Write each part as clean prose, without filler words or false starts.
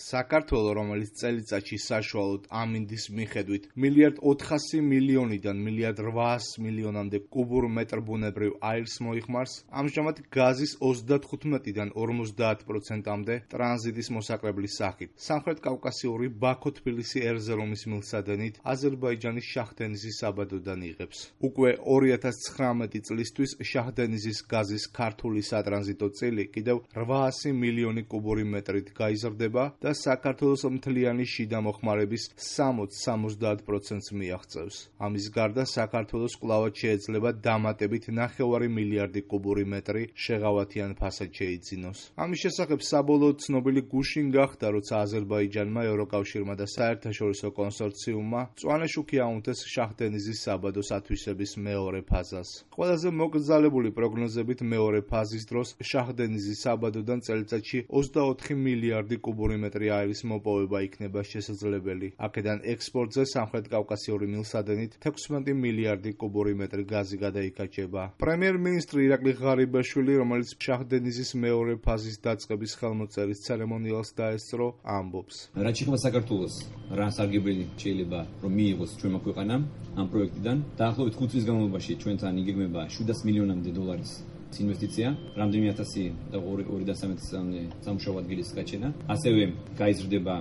საქართველო, რომელიც წელიწადში საშუალოდ ამინდის მიხედვით 1.400 მილიარდიდან 1.800 კუბურ მეტრ ბუნებრივ აირს მოიხმარს, ამჟამად გაზის 35-დან 50%-მდე ტრანზიტის მოსაკრებლის სახით. სამხრეთ კავკასიური ბაქო-თბილისი ერზერომის მილსადენით აზერბაიჯანის შაჰდენიზის საბადოდან იღებს. უკვე 2019 წლისთვის შაჰდენიზის გაზის ქართული სატრანზიტო წილი კიდევ 800 მილიონი კუბური მეტრით გაიზრდება და საქართველოს მთლიანი შიდა მოხმარების 60-70%-ს მიაღწევს. ამის გარდა საქართველოს კვლავად შეეძლება დამატებით 9 მილიარდი კუბური მეტრი შეღავათიან ფასად შეიძინოს. ამის შესახებ საბოლოოდ ცნობილი გუშინ გახდა, როცა აზერბაიჯანმა, ევროკავშირმა და საერთაშორისო კონსორციუმმა მწვანე შუქი აუნთეს შაჰდენიზის საბადოს ათვისების მეორე ფაზას. ყველაზე მოკრძალებული პროგნოზებით მეორე ფაზის დროს შაჰდენიზის საბადოდან წელიწადში 24 მილიარდი კუბური მეტრი აირის მოპოვება იქნება შესაძლებელი. აქედან ექსპორტზე სამხრეთ კავკასიური მილსადენით 16 მილიარდი კუბური მეტრი გაზი გადაიკაჭება. პრემიერ-მინისტრი ირაკლი ღარიბაშვილი, რომელიც შაჰდენიზის მეორე ფაზის დაწყების ხელმოწერის ცერემონიალს დაესწრო, ამბობს. რაც შეეხება საქართველოს, რა სარგებელი შეიძლება რომ მიიღოს ჩვენმა ქვეყანამ ამ პროექტიდან, დაახლოებით 5 წლის განმავლობაში ჩვენთან იგეგმება 700 მილიონამდე დოლარის ინვესტიცია, რამდენიმე 1000 და 213-მდე სამუშაო ადგილის გაჩენა, ასევე გაიზრდება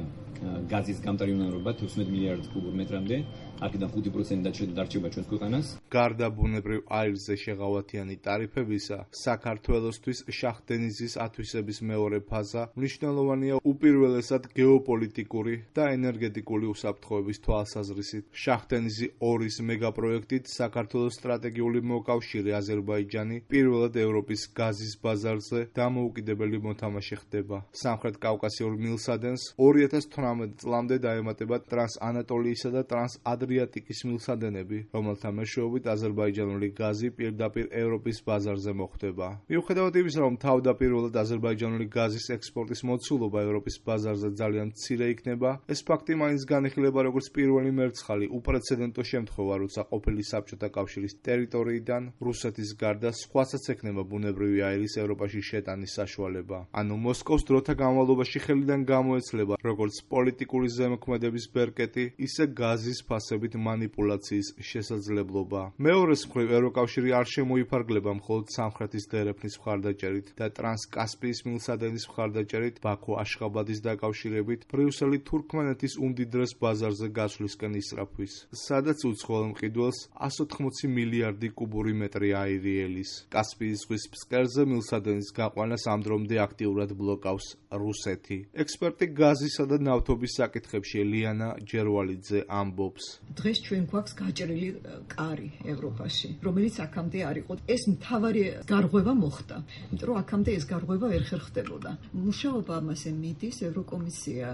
გაზის გამტარიუნარობა 16 მილიარდ კუბურ მეტრამდე, აქედან 5% დარჩება ჩვენს ქვეყანას. გარდა ბუნებრივ აირზე შეღავათიანი ტარიფებისა, საქართველოსთვის შაჰდენიზის ათვისების მეორე ფაზა მნიშვნელოვანია უპირველესად გეოპოლიტიკური და ენერგეტიკული უსაფრთხოების თვალსაზრისით. შაჰდენიზი 2-ის მეგაპროექტით საქართველოს სტრატეგიული მოკავშირე აზერბაიჯანი პირველად ევროპის გაზის ბაზარზე დამოუკიდებელი მოთამაშე ხდება. სამხრეთ კავკასიურ მილსადენს 2018 წლამდე დაემატება ტრანსანატოლიისა და ტრანსადრიატიკის მილსადენები, რომელთა მეშვეობით აზერბაიჯანული გაზი პირდაპირ ევროპის ბაზარზე მოხვდება. მიუხედავად იმისა, რომ თავდაპირველად აზერბაიჯანული გაზის ექსპორტის მოცულობა ევროპის ბაზარზე ძალიან მცირე იქნება, ეს ფაქტი მაინც განიხილება როგორც პირველი მერცხალი უპრეცედენტო შემთხვევა, როცა ყოფილი საბჭოთა კავშირის ტერიტორიიდან რუსეთის გარდა სხვასაც ექნება ბუნებრივი აირის ევროპაში შეტანის საშუალება. ანუ მოსკოვს დროთა განმავლობაში ხელიდან გამოეცლება როგორც პოლიტიკური ზემოქმედების ბერკეტი, ისე გაზის ფასებით მანიპულაციის შესაძლებლობა. მეორეს მხრივ ევროკავშირი არ შემოიფარგლება მხოლოდ სამხრეთის დერეფნის მხარდაჭერით და ტრანსკასპიის მილსადენის მხარდაჭერით ბაქო-აშხაბადის დაკავშირებით ბრიუსელი თურქმენეთის უმდიდრეს ბაზარზე გასვლისკენ ისრაფვის, სადაც უცხოელ მყიდველს 180 მილიარდი კუბური მეტრი აირი ელის. კასპიის ზღვის ფსკერზე მილსადენის გაყვანას ამ დრომდე აქტიურად ბლოკავს რუსეთი. ექსპერტი გაზისა და ნავთობის საკითხებში ლიანა ჯერვალიძე ამბობს. დღეს ჩვენ გვაქვს გაჭრილი კარი ევროპაში, რომელიც აქამდე არ იყო. ეს მთავარი გარღვევა მოხდა, იმიტომ რომ აქამდე ეს გარღვევა ვერ ხერხდებოდა. მუშაობა ამაზე მიდის, ევროკომისია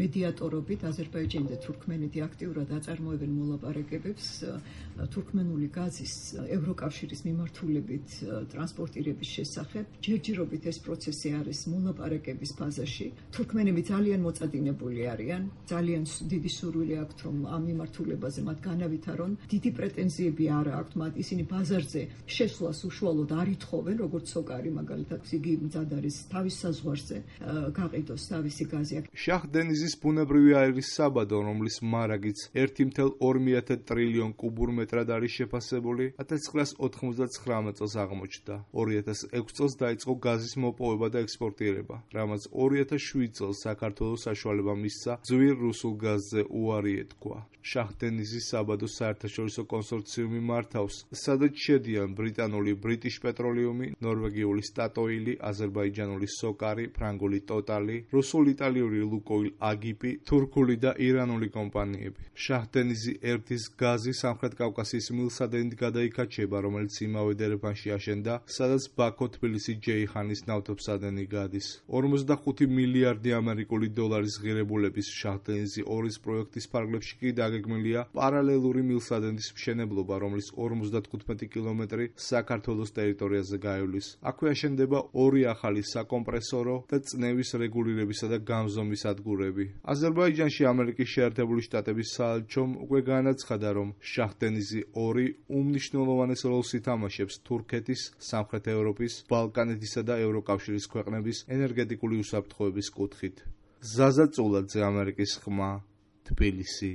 მედიატორობით აზერბაიჯანი და თურქმენეთი აქტიურად აწარმოებენ მოლაპარაკებებს თურქმენული გაზის ევროკავშირის მიმართულებით ტრანსპორტირების შესახებ. ჯერჯერობით ეს პროცესი არის მოლაპარაკების ფაზაში. თურქმენები ძალიან მოწადინებული არიან, ძალიან დიდი სურვილი აქვთ, რომ ამ მიმართულებაზე მათ განავითარონ. დიდი პრეტენზიები არ აქვთ მათ, ისინი ბაზარზე შესვლას უშუალოდ არ ითხოვენ, როგორც სოკარი მაგალითად, იგი მზად არის თავის საზღვარზე გაყიდოს თავისი გაზი. შაჰდენიზის ბუნებრივი აირის საბადო, რომლის მარაგიც 1,2 ტრილიონ კუბურ მეტრად არის შეფასებული, 1999 წელს აღმოჩნდა. 2006 წელს დაიწყო გაზის მოპოვება და ექსპორტირება, რამაც 2007 წელს საქართველოს საშუალება მისცა ძვირ რუსულ გაზზე უარი ეთქვა. შაჰდენიზის საბადოს საერთაშორისო კონსორციუმი მართავს, სადაც შედიან ბრიტანული ბრიტიშ პეტროლიუმი, ნორვეგიული სტატოილი, აზერბაიჯანული სოკარი, ფრანგული ტოტალი, რუსულ-იტალიური ლუკოილ აგიპი, თურქული და ირანული კომპანიები. შაჰდენიზი 1-ის გაზი სამხრეთ კავკასიის მილსადენით გადაიკაჩება, რომელიც იმავე დერეფანში აშენდა, სადაც ბაქო-თბილისი-ჯეიჰანის ნავთობსადენი გადის. 45 მილიარდი ამერიკული დოლარის ღირებულების შაჰდენიზი 2-ის პროექტის ფარგლებში კი დაგეგმილია პარალელური მილსადენის მშენებლობა, რომლის 55 კილომეტრი საქართველოს ტერიტორიაზე გაივლის. აქვე აშენდება 2 ახალი საკომპრესორო და წნევის რეგულირებისა და გამზომის ადგურები. აზერბაიჯანში ამერიკის შეერთებული შტატების საელჩომ უკვე განაცხადა, რომ შაჰდენიზი 2 უმნიშვნელოვანეს როლს ითამაშებს თურქეთის, სამხრეთ ევროპის, ბალკანეთისა და ევროკავშირის ქვეყნების ენერგეტიკული უსაფრთხოების კუთხით. ზაზა წულაძე, ამერიკის ხმა, თბილისი.